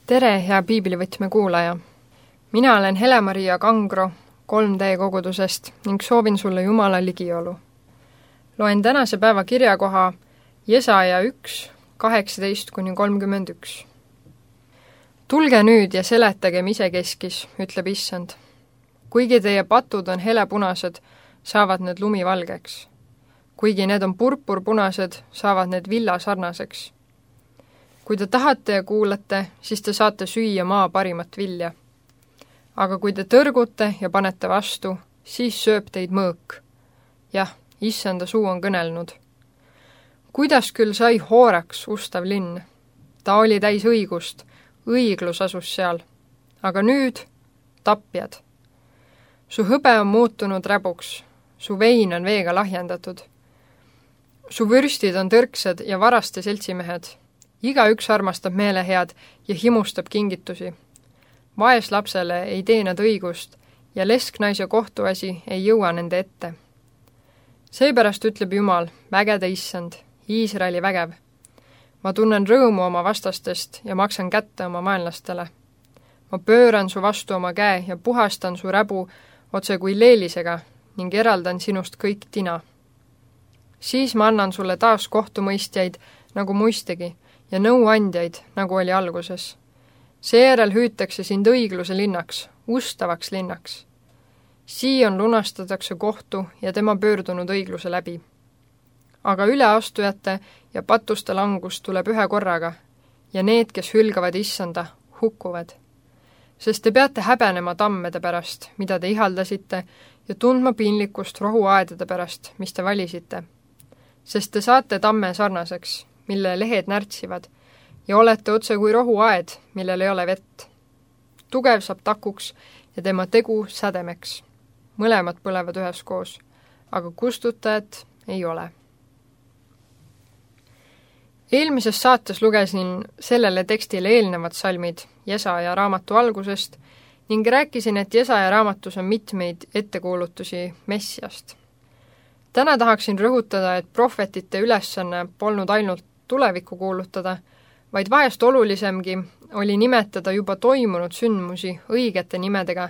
Tere, hea piiblivõtme kuulaja! Mina olen Hele-Maria Kangro 3D kogudusest ning soovin sulle Jumala ligiolu. Loen tänase päeva kirjakoha Jesaja 1, 18-31. Tulge nüüd ja seletagem isekeskis, ütleb Issand. Kuigi teie patud on helepunased, saavad need lumivalgeks. Kuigi need on purpurpunased, saavad need villasarnaseks. Kui te tahate ja kuulate, siis te saate süüa maa parimat vilja. Aga kui te tõrgute ja panete vastu, siis sööb teid mõõk. Jah, Issanda suu on kõnelnud. Kuidas küll sai hooraks ustav linn? Ta oli täis õigust, õiglus asus seal. Aga nüüd tapjad. Su hõbe on muutunud räbuks, su vein on veega lahjendatud. Su vürstid on tõrksed ja varaste seltsimehed. Igaüks armastab meelehead ja himustab kingitusi. Vaeslapsele ei tee nad õigust ja lesknaise kohtuasi ei jõua nende ette. Seepärast ütleb Jumal, vägede Issand, Iisraeli vägev. Ma tunnen rõõmu oma vastastest ja maksan kätte oma vaenlastele. Ma pööran su vastu oma käe ja puhastan su räbu otse kui leelisega ning eraldan sinust kõik tina. Siis ma annan sulle taas kohtumõistjaid nagu muistegi ja nõuandjaid, nagu oli alguses. Seejärel hüütakse sind õigluse linnaks, ustavaks linnaks. Siin lunastatakse kohtu ja tema pöördunud õigluse läbi. Aga üleastujate ja patuste langus tuleb ühe korraga ja need, kes hülgavad Issanda, hukkuvad. Sest te peate häbenema tammede pärast, mida te ihaldasite, ja tundma piinlikkust rohuaedade pärast, mis te valisite. Sest te saate tamme sarnaseks, mille lehed närtsivad, ja olete otse kui rohuaed, millel ei ole vett. Tugev saab takuks ja tema tegu sädemeks. Mõlemad põlevad üheskoos, aga kustutajat ei ole. Eelmises saates lugesin sellele tekstile eelnevad salmid Jesaja raamatu algusest ning rääkisin, et Jesaja raamatus on mitmeid ettekuulutusi Messiast. Täna tahaksin rõhutada, et prohvetite ülesanne polnud ainult tulevikku kuulutada, vaid vahest olulisemgi oli nimetada juba toimunud sündmusi õigete nimedega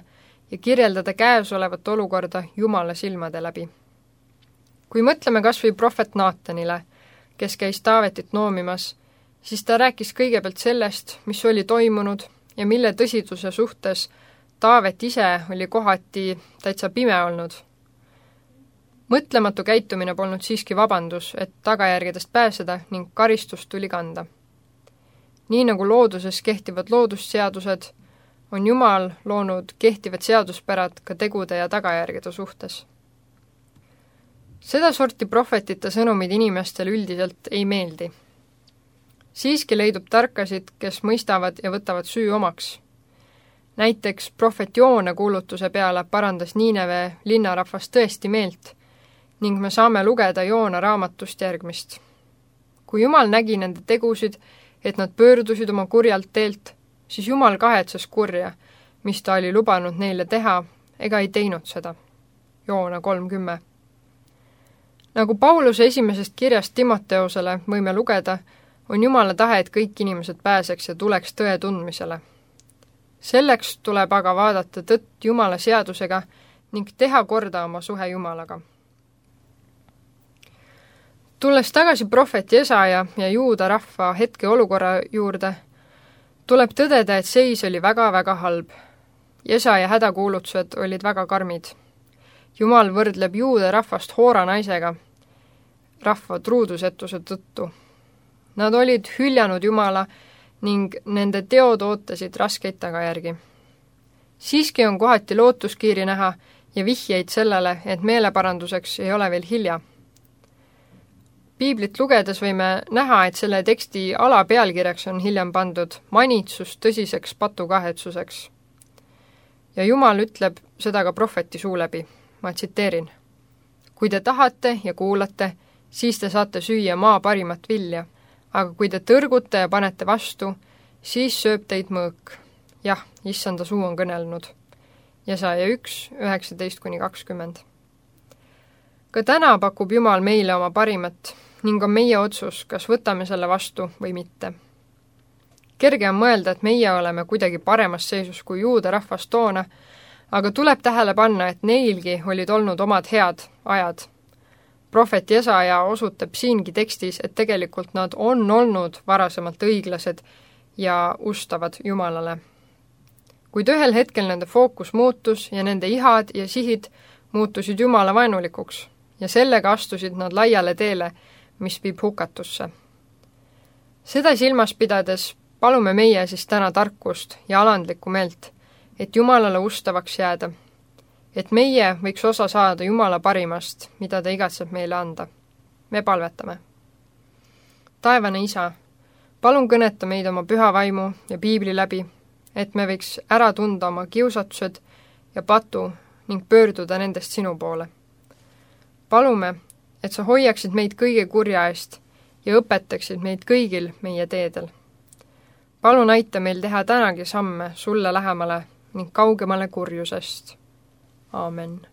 ja kirjeldada käesolevat olukorda Jumala silmade läbi. Kui mõtleme kas või prohvet Naatanile, kes käis Taavetit noomimas, siis ta rääkis kõigepealt sellest, mis oli toimunud ja mille tõsiduse suhtes Taavet ise oli kohati täitsa pime olnud. Mõtlematu käitumine polnud siiski vabandus, et tagajärgedest pääseda ning karistust tuli kanda. Nii nagu looduses kehtivad loodusseadused, on Jumal loonud kehtivad seaduspärad ka tegude ja tagajärgede suhtes. Seda sorti prohvetite sõnumid inimestel üldiselt ei meeldi. Siiski leidub tarkasid, kes mõistavad ja võtavad süü omaks. Näiteks prohvet Joona kuulutuse peale parandas Niineve linnarahvas tõesti meelt ning me saame lugeda Joona raamatust järgmist. Kui Jumal nägi nende tegusid, et nad pöördusid oma kurjalt teelt, siis Jumal kahetses kurja, mis ta oli lubanud neile teha, ega ei teinud seda. Joona 3:10. Nagu Pauluse esimesest kirjast Timoteosele võime lugeda, on Jumala tahe, et kõik inimesed pääseks ja tuleks tõe tundmisele. Selleks tuleb aga vaadata tõtt Jumala seadusega ning teha korda oma suhe Jumalaga. Tulles tagasi prohvet Jesaja ja Juuda rahva hetkeolukorra juurde, tuleb tõdeda, et seis oli väga-väga halb. Jesaja hädakuulutused olid väga karmid. Jumal võrdleb Juuda rahvast Hoora naisega rahva truudusetuse tõttu. Nad olid hüljanud Jumala ning nende teod ootasid raskeid tagajärgi. Siiski on kohati lootuskiiri näha ja vihjeid sellele, et meeleparanduseks ei ole veel hilja. Piiblit lugedes võime näha, et selle teksti alapealkirjaks on hiljem pandud manitsus tõsiseks patukahetsuseks. Ja Jumal ütleb seda ka prohveti suu läbi. Ma tsiteerin. Kui te tahate ja kuulate, siis te saate süüa maa parimat vilja, aga kui te tõrgute ja panete vastu, siis sööb teid mõõk. Jah, Issanda suu on kõnelnud. Jesaja 1, 19-20. Ka täna pakub Jumal meile oma parimat ning on meie otsus, kas võtame selle vastu või mitte. kerge on mõelda, et meie oleme kuidagi paremas seisus kui juuda rahvas toona, aga tuleb tähele panna, et neilgi olid olnud omad head ajad. Prohvet Jesaja osutab siingi tekstis, et tegelikult nad on olnud varasemalt õiglased ja ustavad Jumalale. Kuid ühel hetkel nende fookus muutus ja nende ihad ja sihid muutusid Jumala vaenulikuks ja sellega astusid nad laiale teele, mis viib hukatusse. Seda silmas pidades palume meie siis täna tarkust ja alandlikku meelt, et Jumalale ustavaks jääda, et meie võiks osa saada Jumala parimast, mida ta igatseb meile anda. Me palvetame. Taevane Isa, palun kõneta meid oma püha vaimu ja piibli läbi, et me võiks ära tunda oma kiusatused ja patu ning pöörduda nendest sinu poole. Palume, et sa hoiaksid meid kõige kurja eest ja õpetaksid meid kõigil meie teedel. Palun aita meil teha tänagi samme sulle lähemale ning kaugemale kurjusest. Aamen.